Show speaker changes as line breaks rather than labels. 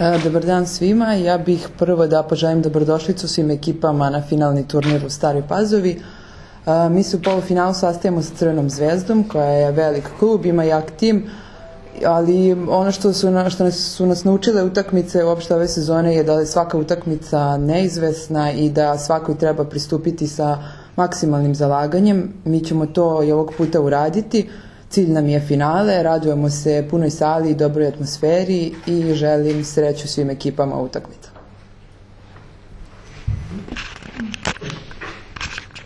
Dobar dan svima. Ja bih prvo da poželim dobrodošlicu svim ekipama na finalni turnir u Staroj Pazovi. Mi se u polufinalu sastajemo sa Crvenom zvezdom, koja je velik klub, ima jak tim, ali ono što su nas naučile utakmice uopšte ove sezone je da je svaka utakmica neizvesna i da svakoj treba pristupiti sa maksimalnim zalaganjem. Mi ćemo to i ovog puta uraditi. Cilj nam je finale, radujemo se punoj sali i dobroj atmosferi i želim sreću svim ekipama u utakmici.